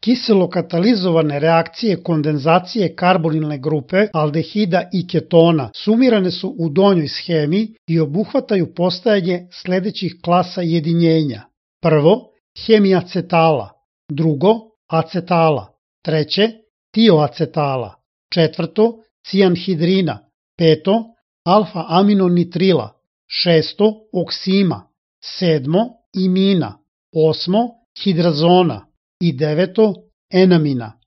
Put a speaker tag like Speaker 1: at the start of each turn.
Speaker 1: Kiselokatalizovane reakcije kondenzacije karbonilne grupe aldehida i ketona sumirane su u donjoj schemi i obuhvataju postajanje sledećih klasa jedinjenja. Prvo, hemiacetala, drugo, acetala, treće, tioacetala, četvrto, cijanhidrina, peto, alfa-aminonitrila, šesto, oksima, sedmo, imina, osmo, hidrazona i deveto, enamina.